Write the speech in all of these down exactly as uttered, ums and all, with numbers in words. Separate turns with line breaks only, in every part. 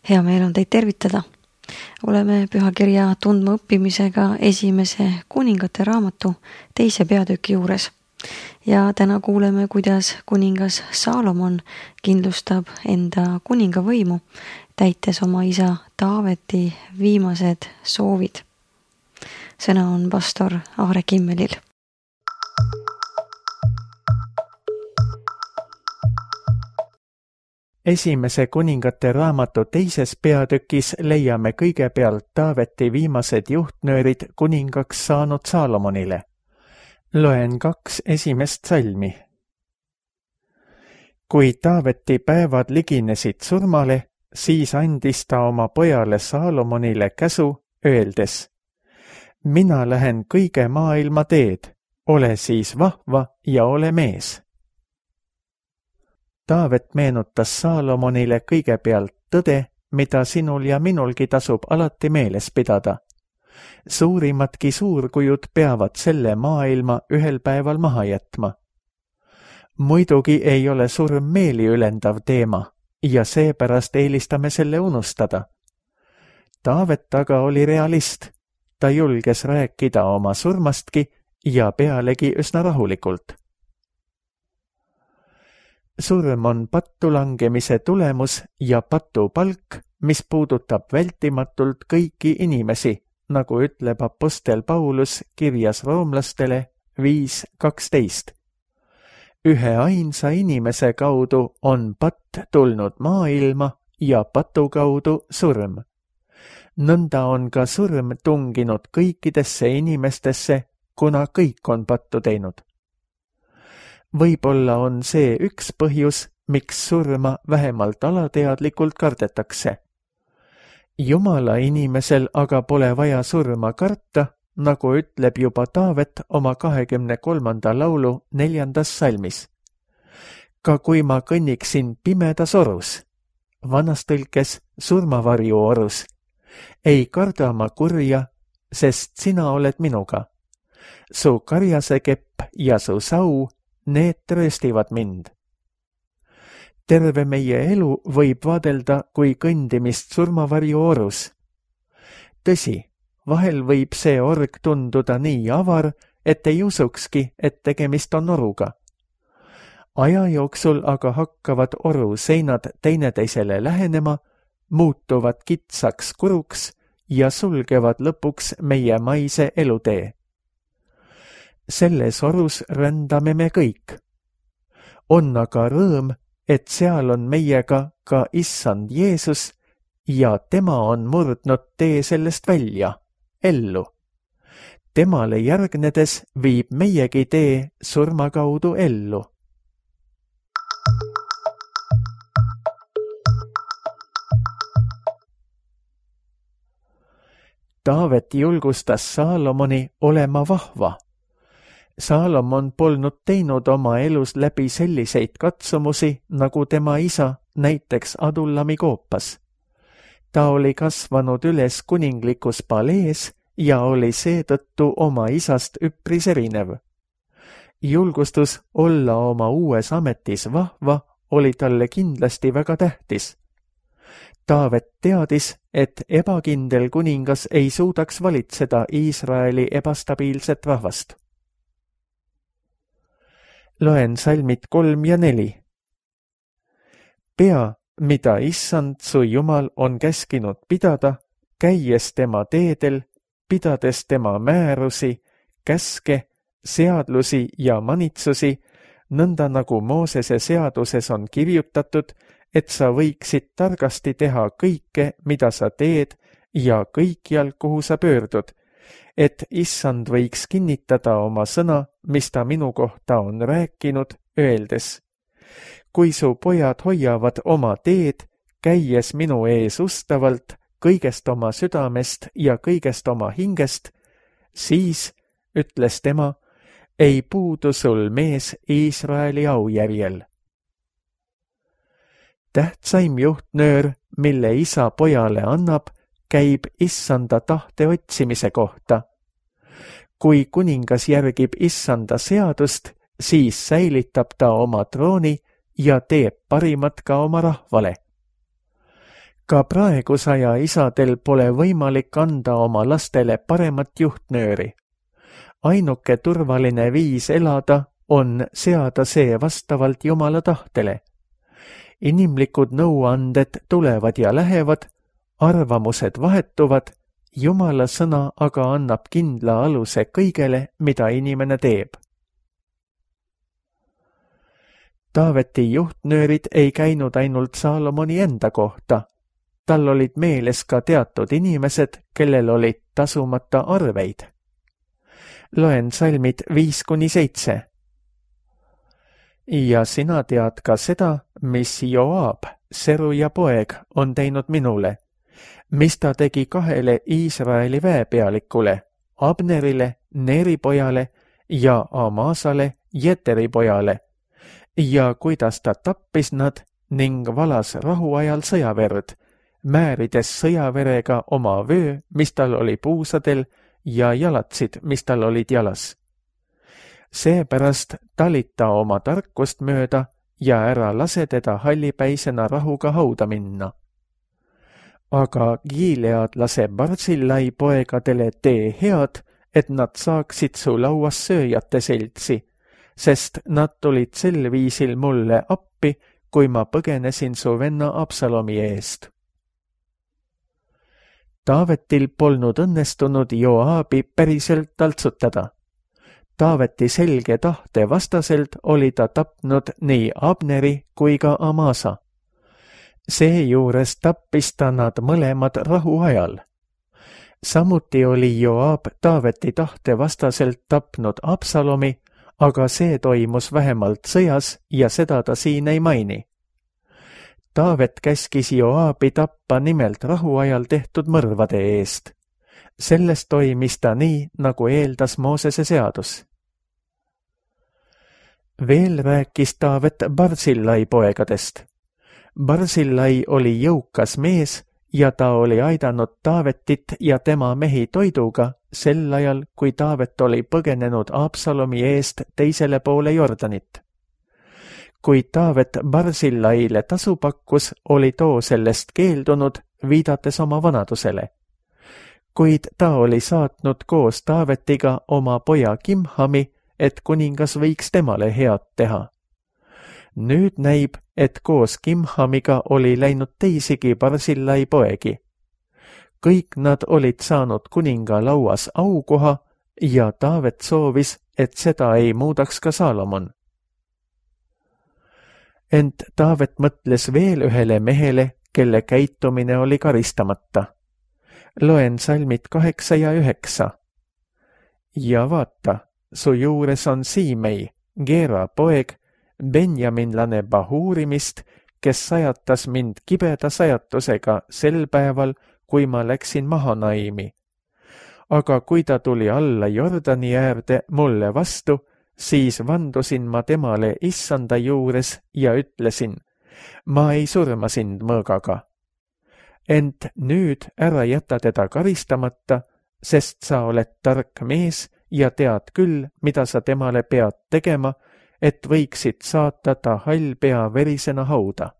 Hea meel on teid tervitada. Oleme pühakirja tundma õppimisega esimese kuningate raamatu teise peatüki juures. Ja täna kuuleme, kuidas kuningas Saalomon kindlustab enda kuningavõimu, täites oma isa Taaveti viimased soovid. Sõna on pastor Aare Kimmelil.
Esimese kuningate raamatu teises peatükis leiame kõigepealt Taaveti viimased juhtnöörid kuningaks saanud Saalomonile. Loen kaks esimest salmi. Kui Taaveti päevad liginesid surmale, siis andis ta oma pojale Saalomonile käsu, öeldes: Mina lähen kõige maailma teed, ole siis vahva ja ole mees. Taavet meenutas Saalomonile kõigepealt tõde, mida sinul ja minulgi tasub alati meeles pidada. Suurimadki suurkujud peavad selle maailma ühel päeval maha jätma. Muidugi ei ole surm meeliülendav teema ja seepärast eelistame selle unustada. Taavet aga oli realist. Ta julges rääkida oma surmastki ja pealegi üsna rahulikult. Surm on pattu langemise tulemus ja patu palk, mis puudutab vältimatult kõiki inimesi, nagu ütleb apostel Paulus kirjas roomlastele viis kaksteist. Ühe ainsa inimese kaudu on patt tulnud maailma ja patu kaudu surm. Nõnda on ka surm tunginud kõikidesse inimestesse, kuna kõik on pattu teinud. Võib-olla on see üks põhjus, miks surma vähemalt alateadlikult kardetakse. Jumala inimesel aga pole vaja surma karta, nagu ütleb juba Taavet oma kahekümne kolmanda laulu neljandas salmis. Ka kui ma kõnniksin pimedas orus, vanas tõlkes surmavarju orus, ei karda ma kurja, sest sina oled minuga. Su karjasekepp ja su sau, need trööstivad mind. Terve meie elu võib vaadelda kui kõndimist surmavarju orus. Tõsi, vahel võib see org tunduda nii avar, et ei usukski, et tegemist on oruga. Aja jooksul aga hakkavad oru seinad teineteisele lähenema, muutuvad kitsaks kuruks ja sulgevad lõpuks meie maise elutee. Selles orus rändame me kõik. On aga rõõm, et seal on meiega ka issand Jeesus ja tema on murdnud tee sellest välja, ellu. Temale järgnedes viib meiegi tee surma kaudu ellu. Taavet julgustas Saalomoni olema vahva. Saalomon polnud teinud oma elus läbi selliseid katsumusi, nagu tema isa, näiteks Adullami koopas. Ta oli kasvanud üles kuninglikus palees ja oli seetõttu oma isast üpris erinev. Julgustus olla oma uues ametis vahva oli talle kindlasti väga tähtis. Taavet teadis, et ebakindel kuningas ei suudaks valitseda Iisraeli ebastabiilset rahvast. Loen salmid kolm ja neli. Pea, mida issand su Jumal on käskinud pidada, käies tema teedel, pidades tema määrusi, käske, seadlusi ja manitsusi, nõnda nagu Moosese seaduses on kirjutatud, et sa võiksid targasti teha kõike, mida sa teed ja kõikjal, kuhu sa pöördud, et issand võiks kinnitada oma sõna, mis ta minu kohta on rääkinud, öeldes: Kui su pojad hoiavad oma teed, käies minu ees ustavalt, kõigest oma südamest ja kõigest oma hingest, siis, ütles tema, ei puudu sul mees Iisraeli aujärjel. Tähtsaim juhtnöör, mille isa pojale annab, käib issanda tahte otsimise kohta. Kui kuningas järgib issanda seadust, siis säilitab ta oma trooni ja teeb parimat ka oma rahvale. Ka praegusaja isadel pole võimalik anda oma lastele paremat juhtnööri. Ainuke turvaline viis elada on seada see vastavalt Jumala tahtele. Inimlikud nõuanded tulevad ja lähevad, arvamused vahetuvad, Jumala sõna aga annab kindla aluse kõigele, mida inimene teeb. Taaveti juhtnöörid ei käinud ainult Saalomoni enda kohta. Tal olid meeles ka teatud inimesed, kellel olid tasumata arveid. Loen salmid viis kuni seitse. Ja sina tead ka seda, mis Joab, Seruja poeg, on teinud minule, mis ta tegi kahele Iisraeli väepealikule, Abnerile, Neri pojale ja Amasale, Jeteri pojale, ja kuidas ta tappis nad ning valas rahuajal sõjaverd, määrides sõjaverega oma vöö, mis tal oli puusadel, ja jalatsid, mis tal olid jalas. Seepärast talita oma tarkust mööda ja ära lase teda hallipäisena rahuga hauda minna. Aga Gilead lase Barzillai poegadele tee head, et nad saaksid su lauas sööjate seltsi, sest nad tulid sel viisil mulle appi, kui ma põgenesin su venna Absalomi eest. Taavetil polnud õnnestunud Joabi päriselt taltsutada. Taaveti selge tahte vastaselt oli ta tapnud nii Abneri kui ka Amasa. Seejuures tappis ta nad mõlemad rahuajal. Samuti oli Joab Taaveti tahte vastaselt tapnud Absalomi, aga see toimus vähemalt sõjas ja seda ta siin ei maini. Taavet käskis Joabi tappa nimelt rahuajal tehtud mõrvade eest. Sellest toimis ta nii, nagu eeldas Moosese seadus. Veel rääkis Taavet Barzillai poegadest. Barzillai oli jõukas mees ja ta oli aidanud Taavetit ja tema mehi toiduga sel ajal, kui Taavet oli põgenenud Absalomi eest teisele poole Jordanit. Kui Taavet Barzillaile tasu pakkus, oli too sellest keeldunud, viidates oma vanadusele. Kuid ta oli saatnud koos Taavetiga oma poja Kimhami, et kuningas võiks temale head teha. Nüüd näib, et koos Kimhamiga oli läinud teisigi Barzillai poegi. Kõik nad olid saanud kuninga lauas aukoha ja Taavet soovis, et seda ei muudaks ka Saalomon. Ent Taavet mõtles veel ühele mehele, kelle käitumine oli karistamata. Loen salmid kaheksa ja üheksa. Ja vaata, su juures on Siimei, Geera poeg, benjaminlane Bahurimist, kes sajatas mind kibeda sajatusega sel päeval, kui ma läksin Mahanaimi. Aga kui ta tuli alla Jordani äärde mulle vastu, siis vandusin ma temale issanda juures ja ütlesin, ma ei surma sind mõõgaga. Ent nüüd ära jäta teda karistamata, sest sa oled tark mees ja tead küll, mida sa temale pead tegema, et võiksid saata ta hall pea verisena hauda.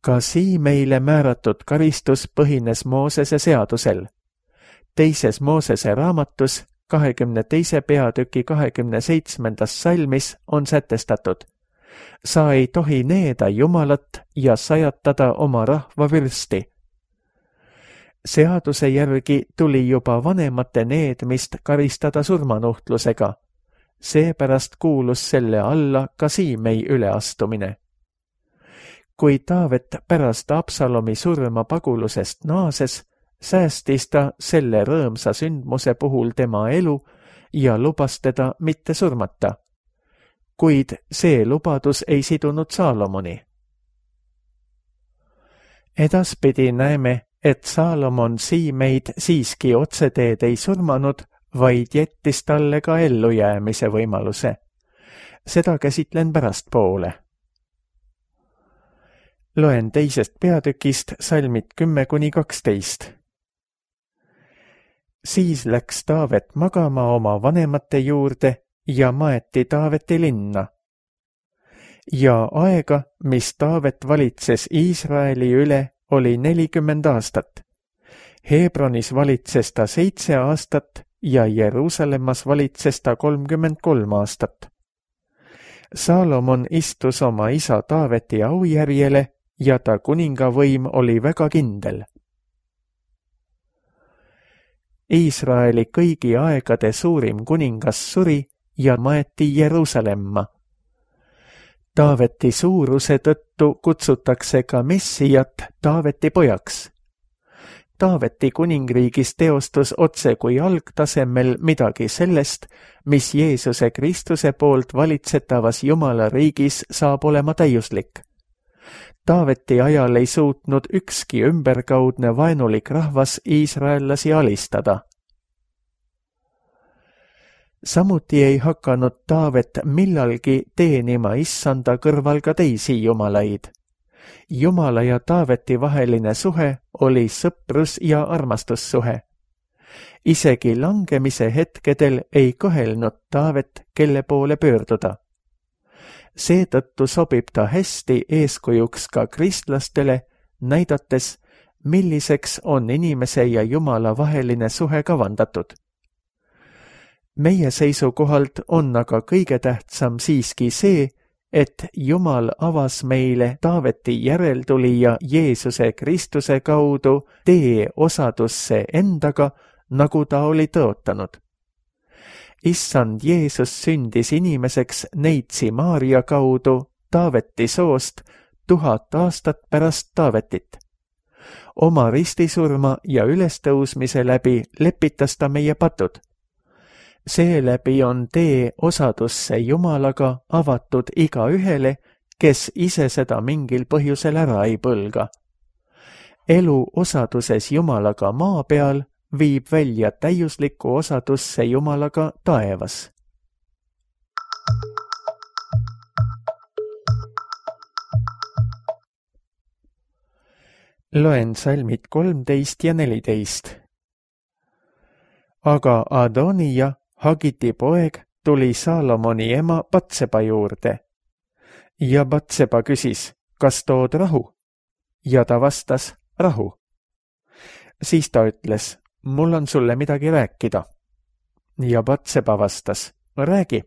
Ka Siimeile määratud karistus põhines Moosese seadusel. Teises Moosese raamatus kahekümne teise peatüki kahekümne seitsmendas salmis on sätestatud. Sa ei tohi needa Jumalat ja sajatada oma rahva vürsti. Seaduse järgi tuli juba vanemate needmist karistada surmanuhtlusega. Seepärast kuulus selle alla ka Siimei üleastumine. Kui Taavet pärast Absalomi surma pagulusest naases, säästis ta selle rõõmsa sündmuse puhul tema elu ja lubas teda mitte surmata. Kuid see lubadus ei sidunud Saalomoni. Edaspidi näeme, et Saalomon Siimeid siiski otseteed ei surmanud, vaid jättis talle ka ellujäämise võimaluse. Seda käsitlen pärastpoole. Loen teisest peatükist salmid kümme kuni kaksteist. Siis läks Taavet magama oma vanemate juurde ja maeti Taaveti linna. ja aega, mis Taavet valitses Iisraeli üle, oli nelikümmend aastat. Hebronis valitses ta seitse aastat ja Jeruusalemmas valitses ta kolmkümmend kolm aastat. Saalomon istus oma isa Taaveti aujärjele ja ta kuningavõim oli väga kindel. Iisraeli kõigi aegade suurim kuningas suri ja maeti Jeruusalemma. Taaveti suuruse tõttu kutsutakse ka Messijat Taaveti pojaks. Taaveti kuningriigis teostus otse kui algtasemel midagi sellest, mis Jeesuse Kristuse poolt valitsetavas Jumala riigis saab olema täiuslik. Taaveti ajal ei suutnud ükski ümberkaudne vaenulik rahvas iisraellasi alistada. Samuti ei hakanud Taavet millalgi teenima issanda kõrval ka teisi jumalaid. Jumala ja Taaveti vaheline suhe oli sõprus- ja armastussuhe. Isegi langemise hetkedel ei kõhelnud Taavet, kelle poole pöörduda. Seetõttu sobib ta hästi eeskujuks ka kristlastele, näidates, milliseks on inimese ja Jumala vaheline suhe kavandatud. Meie seisukohalt on aga kõige tähtsam siiski see, et Jumal avas meile Taaveti järeltulija Jeesuse Kristuse kaudu tee osadusse endaga, nagu ta oli tõotanud. Issand Jeesus sündis inimeseks neitsi Maaria kaudu Taaveti soost tuhat aastat pärast Taavetit. Oma ristisurma ja ülestõusmise läbi lepitas ta meie patud. Seeläbi on tee osadusse Jumalaga avatud igaühele, kes ise seda mingil põhjusel ära ei põlga. Elu osaduses Jumalaga maa peal viib välja täiuslikku osadusse Jumalaga taevas. Loen salmid kolmteist ja neliteist. Aga Adonija, Hagiti poeg, tuli Saalomoni ema Batseba juurde. Ja Batseba küsis, kas tood rahu? Ja ta vastas, rahu. Siis ta ütles, mul on sulle midagi rääkida. Ja Batseba vastas, räägi.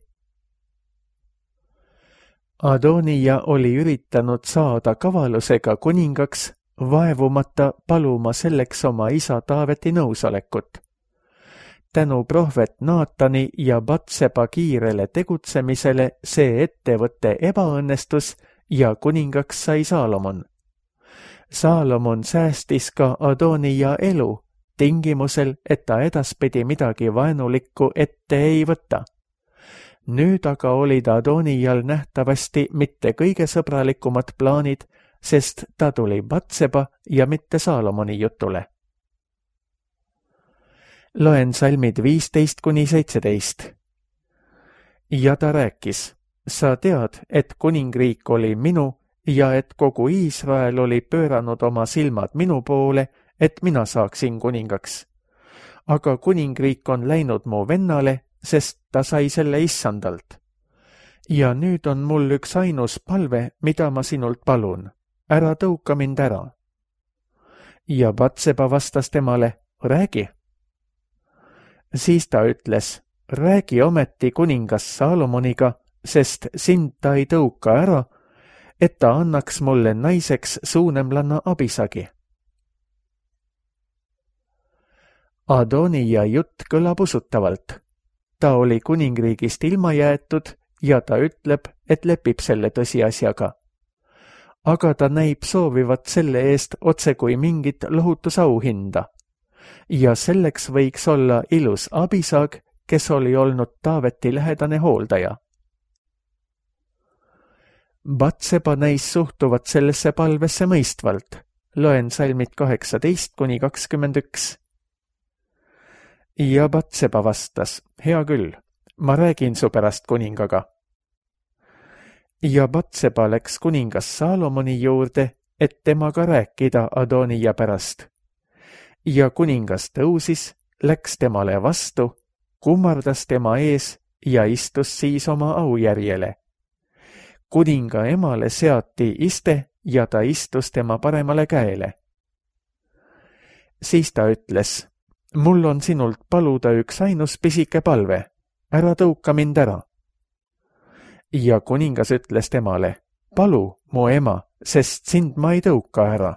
Adonija oli üritanud saada kavalusega kuningaks, vaevumata paluma selleks oma isa Taaveti nõusolekut. Tänu prohvet Naatani ja Batseba kiirele tegutsemisele see ettevõtte ebaõnnestus ja kuningaks sai Saalomon. Saalomon säästis ka Adonija elu, tingimusel, et ta edaspidi midagi vaenulikku ette ei võta. Nüüd aga olid Adonijal nähtavasti mitte kõige sõbralikumad plaanid, sest ta tuli Batseba ja mitte Saalomoni jutule. Loen salmid viisteist kuni seitseteist. Ja ta rääkis, sa tead, et kuningriik oli minu ja et kogu Iisrael oli pööranud oma silmad minu poole, et mina saaksin kuningaks. Aga kuningriik on läinud mu vennale, sest ta sai selle issandalt. Ja nüüd on mul üks ainus palve, mida ma sinult palun. Ära tõuka mind ära. Ja Batseba vastas temale, räägi. Siis ta ütles, räägi ometi kuningas Saalomoniga, sest sind ta ei tõuka ära, et ta annaks mulle naiseks suunemlanna Abisagi. Adonija jutt kõlab usutavalt. Ta oli kuningriigist ilma jäetud ja ta ütleb, et lepib selle tõsiasjaga. Aga ta näib soovivat selle eest otse kui mingit lohutusauhinda. Ja selleks võiks olla ilus Abisag, kes oli olnud Taaveti lähedane hooldaja. Batseba näis suhtuvat sellesse palvesse mõistvalt. Loen salmid kaheksateist kuni kakskümmend üks. Ja Batseba vastas, hea küll, ma räägin su pärast kuningaga. Ja Batseba läks kuningas Saalomoni juurde, et temaga rääkida Adonija pärast. Ja kuningas tõusis, läks temale vastu, kummardas tema ees ja istus siis oma aujärjele. kuninga emale seati iste ja ta istus tema paremale käele. Siis ta ütles, mul on sinult paluda üks ainus pisike palve, ära tõuka mind ära. Ja kuningas ütles temale, palu, mu ema, sest sind ma ei tõuka ära.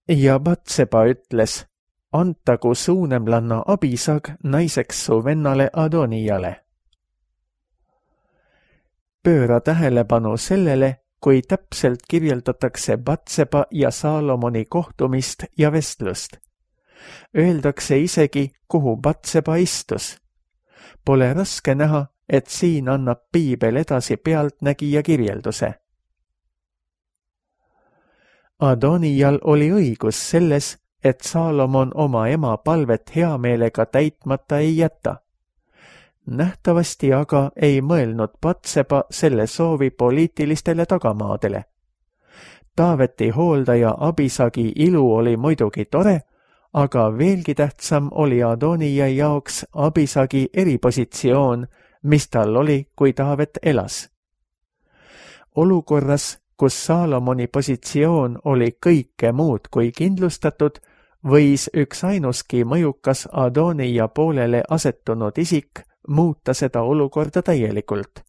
Ja Batseba ütles, antagu suunemlanna Abisag naiseks su vennale Adonijale. Pööra tähelepanu sellele, kui täpselt kirjeldatakse Batseba ja Saalomoni kohtumist ja vestlust. Öeldakse isegi, kuhu Batseba istus. Pole raske näha, et siin annab piibel edasi pealtnägija kirjelduse. Adonijal oli õigus selles, et Saalomon oma ema palvet heameelega täitmata ei jäta. Nähtavasti aga ei mõelnud Batseba selle soovi poliitilistele tagamaadele. Taaveti hooldaja Abisagi ilu oli muidugi tore, aga veelgi tähtsam oli Adonija jaoks Abisagi eripositsioon, mis tal oli, kui Taavet elas. Olukorras, kus Saalomoni positsioon oli kõike muud kui kindlustatud, võis üks ainuski mõjukas Adonija poolele asetunud isik muuta seda olukorda täielikult.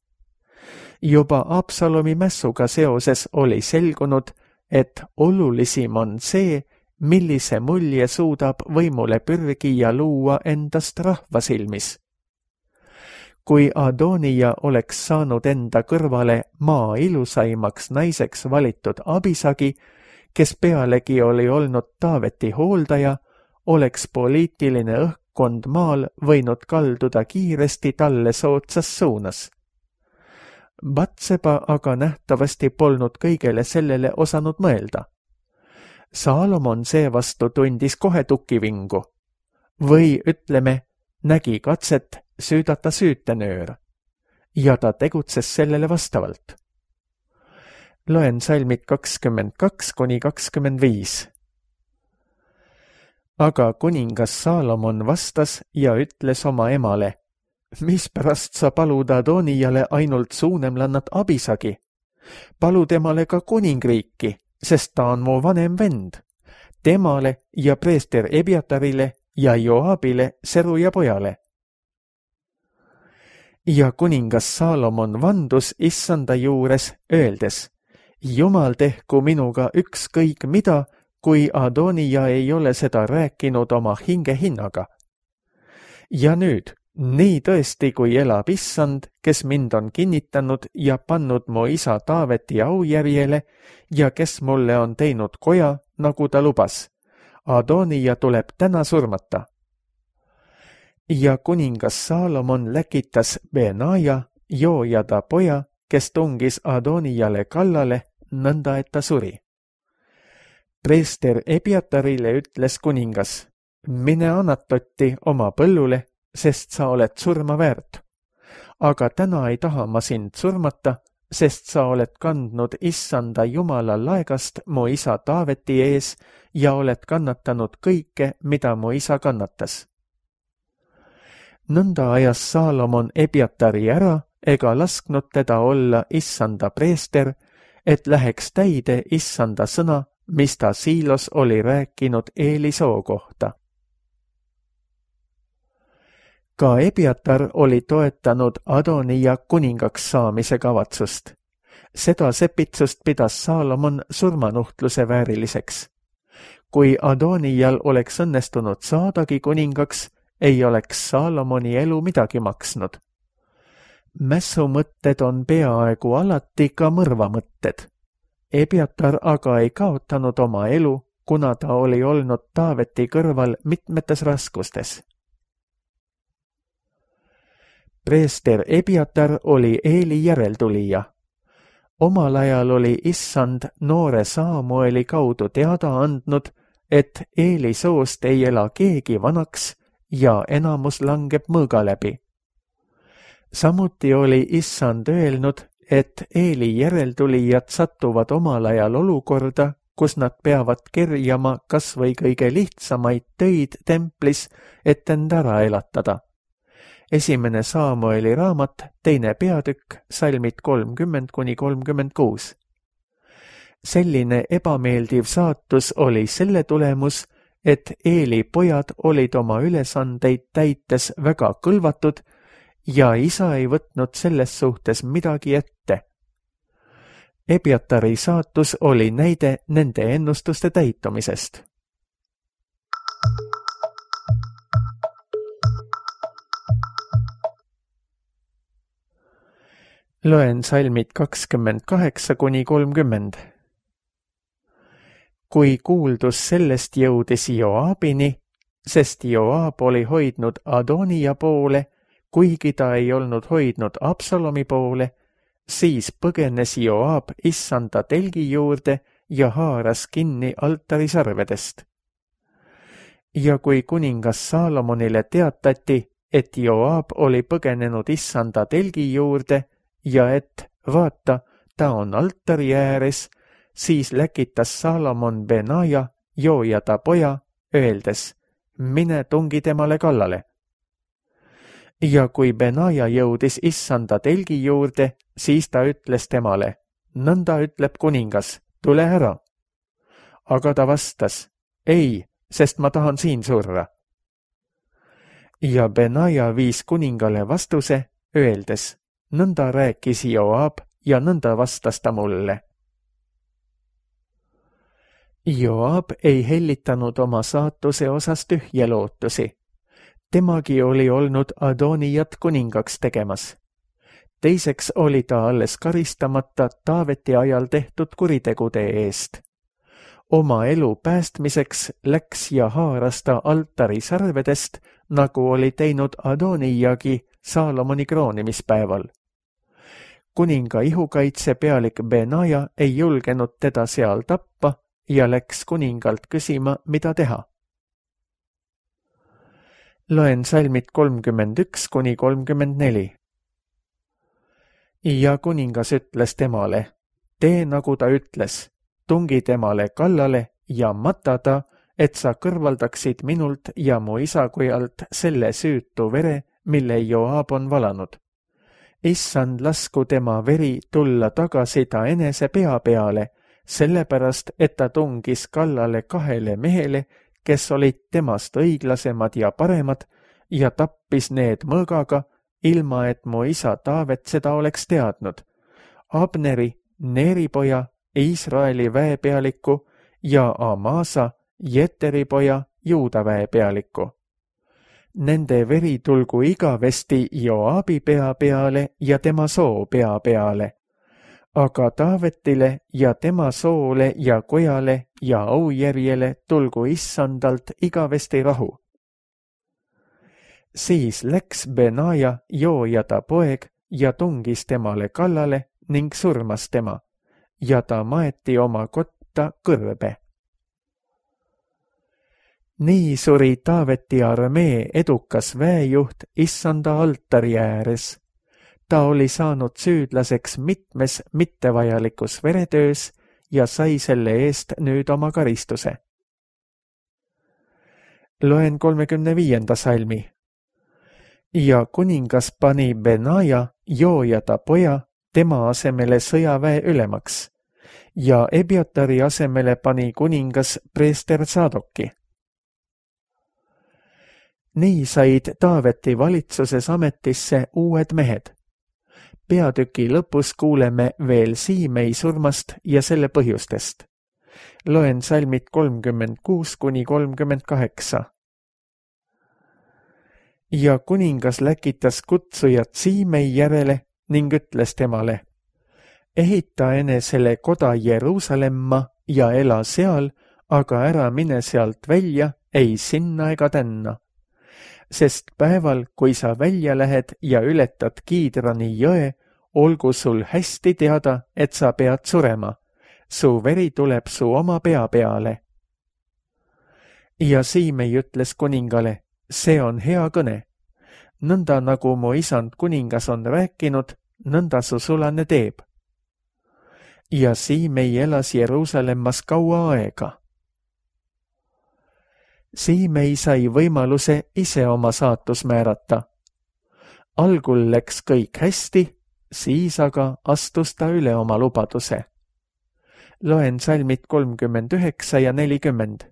Juba Absalomi mässuga seoses oli selgunud, et olulisim on see, millise mulje suudab võimule pürgija luua endast rahva silmis. Kui Adonija oleks saanud enda kõrvale maa ilusaimaks naiseks valitud Abisagi, kes pealegi oli olnud Taaveti hooldaja, oleks poliitiline õhkkond maal võinud kalduda kiiresti talle sootsas suunas. Batseba aga nähtavasti polnud kõigele sellele osanud mõelda. Saalomon seevastu tundis kohe tukivingu. Või ütleme, nägi katset süüdata süütenöör. Ja ta tegutses sellele vastavalt. Loen salmid kakskümmend kaks kuni kakskümmend viis. Aga kuningas Saalomon vastas ja ütles oma emale, mispärast sa palud Adonijale ainult suunemlannat Abisagi? Palu temale ka kuningriiki, sest ta on mu vanem vend. Temale ja preester Ebiatarile ja Joabile, seru ja pojale. Ja kuningas Saalomon vandus issanda juures, öeldes, Jumal tehku minuga ükskõik mida, kui Adonija ei ole seda rääkinud oma hinge hinnaga. Ja nüüd, nii tõesti, kui elab issand, kes mind on kinnitanud ja pannud mu isa Taaveti aujärjele ja kes mulle on teinud koja, nagu ta lubas. Adonija tuleb täna surmata. Ja kuningas Saalomon läkitas Benaja, Joojada poja, kes tungis Adonijale kallale, nõnda et ta suri. Preester Ebiatarile ütles kuningas, mine Anatotti oma põllule, sest sa oled surma väärt. Aga täna ei taha ma sind surmata, sest sa oled kandnud issanda Jumala laegast mu isa Taaveti ees ja oled kannatanud kõike, mida mu isa kannatas. Nõnda ajas Saalomon Ebiatari ära ega lasknud teda olla issanda preester, et läheks täide issanda sõna, mis ta Siilos oli rääkinud Eeli soo kohta. Ka Ebiatar oli toetanud Adonija kuningaks saamise kavatsust. Seda sepitsust pidas Saalomon surmanuhtluse vääriliseks. Kui Adonijal oleks õnnestunud saadagi kuningaks, ei oleks Saalomoni elu midagi maksnud. Mässumõtted on peaaegu alati ka mõrvamõtted. Ebiatar aga ei kaotanud oma elu, kuna ta oli olnud Taaveti kõrval mitmetes raskustes. Preester Ebiatar oli Eeli järeltulija. Omal ajal oli issand noore Saamueli kaudu teada andnud, et Eeli soost ei ela keegi vanaks ja enamus langeb mõõga läbi. Samuti oli issand öelnud, et Eeli järeltulijad satuvad omal ajal olukorda, kus nad peavad kerjama kas või kõige lihtsamaid töid templis, et end ära elatada. esimene Saamueli raamat, teine peatükk, salmid kolmkümmend kuni kolmkümmend kuus. Selline ebameeldiv saatus oli selle tulemus, et Eeli pojad olid oma ülesandeid täites väga kõlvatud ja isa ei võtnud selles suhtes midagi ette. Ebiatari saatus oli näide nende ennustuste täitumisest. Loen salmid kakskümmend kaheksa kuni kolmkümmend. Kui kuuldus sellest jõudis Joabini, sest Joab oli hoidnud Adonia poole, kuigi ta ei olnud hoidnud Absalomi poole, siis põgenes Joab issanda telgi juurde ja haaras kinni altarisarvedest. Ja kui kuningas Saalomonile teatati, et Joab oli põgenenud issanda telgi juurde ja et, vaata, ta on altari ääres, siis läkitas Saalomon Benaja, joojada poja, öeldes, mine tungi temale kallale. Ja kui Benaja jõudis issanda telgi juurde, siis ta ütles temale, nõnda ütleb kuningas, tule ära. Aga ta vastas, ei, sest ma tahan siin surra. Ja Benaja viis kuningale vastuse, öeldes, nõnda rääkis Joab ja nõnda vastas ta mulle. Joab ei hellitanud oma saatuse osas tühje lootusi. Temagi oli olnud Adonijat kuningaks tegemas. Teiseks oli ta alles karistamata Taaveti ajal tehtud kuritegude eest. Oma elu päästmiseks läks ja haaras ta altari sarvedest, nagu oli teinud Adonijagi Saalomoni kroonimispäeval. Kuninga ihukaitse pealik Benaja ei julgenud teda seal tappa ja läks kuningalt küsima, mida teha. Loen salmid kolmkümmend üks kuni kolmkümmend neli. Ja kuningas ütles temale, tee nagu ta ütles, tungi temale kallale ja mata ta, et sa kõrvaldaksid minult ja mu isakojalt selle süütu vere, mille Joab on valanud. Issand lasku tema veri tulla tagasi ta enese pea peale, sellepärast, et ta tungis kallale kahele mehele, kes olid temast õiglasemad ja paremad, ja tappis need mõõgaga, ilma et mu isa Taavet seda oleks teadnud. Abneri, Neeri poja, Iisraeli väepealiku ja Amasa, Jeteri poja, Juuda väepealiku. Nende veri tulgu igavesti Joabi pea peale ja tema soo pea peale. Aga Taavetile ja tema soole ja kojale ja aujärjele tulgu issandalt igavesti rahu. Siis läks Benaja, joojada poeg, ja tungis temale kallale ning surmas tema, ja ta maeti oma kotta kõrbe. Nii suri Taaveti armee edukas väejuht issanda altari ääres. Ta oli saanud süüdlaseks mitmes mittevajalikus veretöös ja sai selle eest nüüd oma karistuse. Loen kolmekümne viienda salmi. Ja kuningas pani Benaja, joojada poja, tema asemele sõjaväe ülemaks ja Ebiatari asemele pani kuningas preester Sadoki. Nii said Taaveti valitsuses ametisse uued mehed. Peatüki lõpus kuuleme veel Siimei surmast ja selle põhjustest. Loen salmid kolmkümmend kuus kuni kolmkümmend kaheksa. Ja kuningas läkitas kutsujat Siimei järele ning ütles temale, ehita enesele koda Jeruusalemma ja ela seal, aga ära mine sealt välja, ei sinna ega tänna. Sest päeval, kui sa välja lähed ja ületad Kiidrani jõe, olgu sul hästi teada, et sa pead surema. Su veri tuleb su oma pea peale. Ja Siimei ütles kuningale, see on hea kõne. Nõnda nagu mu isand kuningas on rääkinud, nõnda su sulane teeb. Ja Siimei elas Jeruusalemmas kaua aega. Siimei sai võimaluse ise oma saatus määrata. Algul läks kõik hästi, siis aga astus ta üle oma lubaduse. Loen salmid kolmkümmend üheksa ja nelikümmend.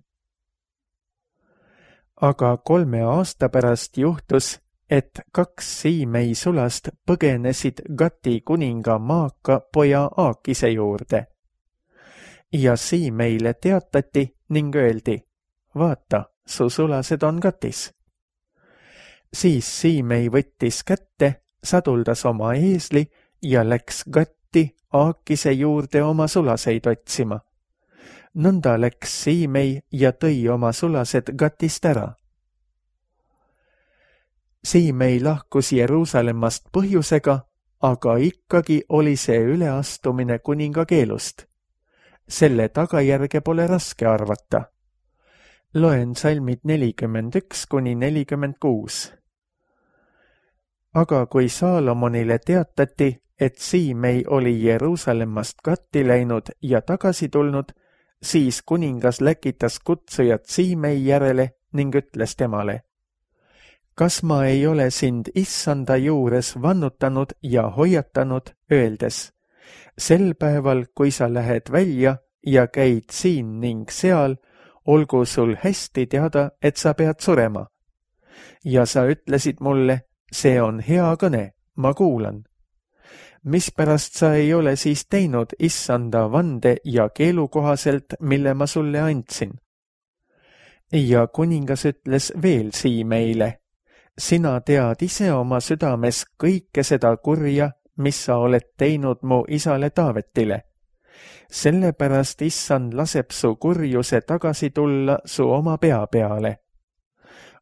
Aga kolme aasta pärast juhtus, et kaks Siimei sulast põgenesid Gati kuninga Maaka poja Aakise juurde. Ja Siimeile teatati ning öeldi, vaata, su sulased on Gatis. Siis Siimei võttis kätte, saduldas oma eesli ja läks Gatti Aakise juurde oma sulaseid otsima. Nõnda läks Siimei ja tõi oma sulased Gatist ära. Siimei lahkus Jeruusalemmast põhjusega, aga ikkagi oli see üleastumine kuninga keelust. Selle tagajärge pole raske arvata. Loen salmid nelikümmend üks kuni nelikümmend kuus. Aga kui Saalomonile teatati, et Siimei oli Jeruusalemmast Gatti läinud ja tagasi tulnud, siis kuningas läkitas kutsujat Siimei järele ning ütles temale, kas ma ei ole sind issanda juures vannutanud ja hoiatanud, öeldes, sel päeval, kui sa lähed välja ja käid siin ning seal, olgu sul hästi teada, et sa pead surema. Ja sa ütlesid mulle, see on hea kõne, ma kuulan. Mispärast sa ei ole siis teinud issanda vande ja keelu kohaselt, mille ma sulle andsin? Ja kuningas ütles veel Siimeile, sina tead ise oma südames kõike seda kurja, mis sa oled teinud mu isale Taavetile. Sellepärast issand laseb su kurjuse tagasi tulla su oma pea peale.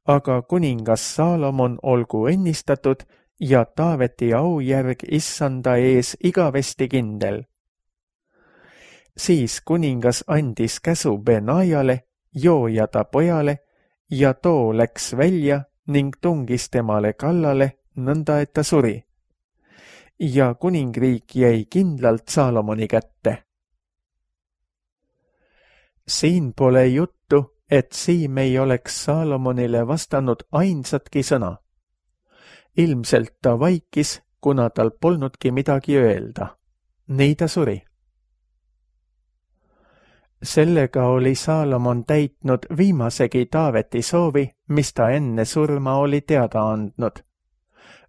Aga kuningas Saalomon olgu õnnistatud ja Taaveti aujärg issanda ees igavesti kindel. Siis kuningas andis käsu Benaiale, jooja ta pojale, ja too läks välja ning tungis temale kallale, nõnda et ta suri. Ja kuningriik jäi kindlalt Saalomoni kätte. Siin pole juttu, et Siimei oleks Saalomonile vastanud ainsatki sõna. Ilmselt ta vaikis, kuna tal polnudki midagi öelda. Nii ta suri. Sellega oli Saalomon täitnud viimasegi Taaveti soovi, mis ta enne surma oli teada andnud.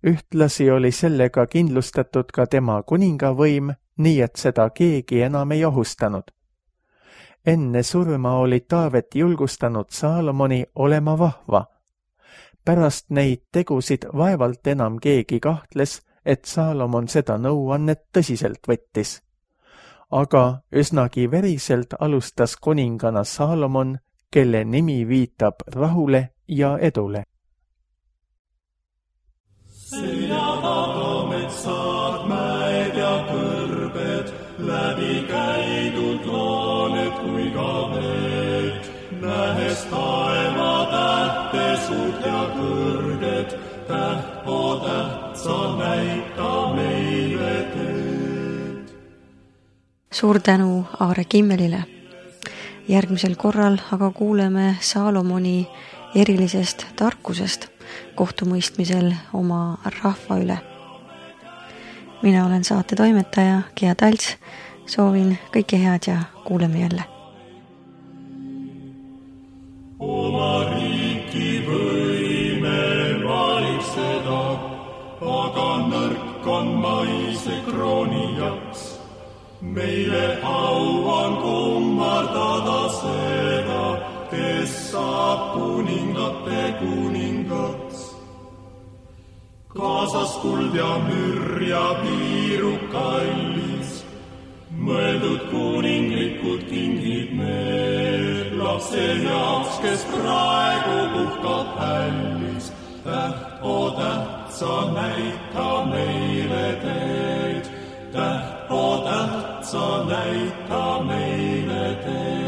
Ühtlasi oli sellega kindlustatud ka tema kuningavõim, nii et seda keegi enam ei ohustanud. Enne surma oli Taavet julgustanud Saalomoni olema vahva. Pärast neid tegusid vaevalt enam keegi kahtles, et Saalomon seda nõuannet tõsiselt võttis. Aga üsnagi veriselt alustas kuningana Saalomon, kelle nimi viitab rahule ja edule.
Sina tagametsad, mäed ja kõrbed, läbi käidud looned kui ka veed, nähes taeva tähte suurt ja kõrged, täht o täht sa näita meile teed.
Suur tänu Aare Kimmelile. Järgmisel korral aga kuuleme Saalomoni erilisest tarkusest kohtumõistmisel oma rahva üle. Mina olen saate toimetaja Gea Talts, soovin kõike head ja kuuleme jälle.
Oma riiki võime valitseda, aga nõrk on maise krooni jaks. Meile au on kummardada seda, kes saab kuningate kuningaks. Kaasas kuld ja mürr ja piiru kallis, mõeldud kuninglikud kingid need lapse jaoks, kes praegu puhkab hällis. Täht o täht sa näita meile teed, täht o täht sa näita meile teed.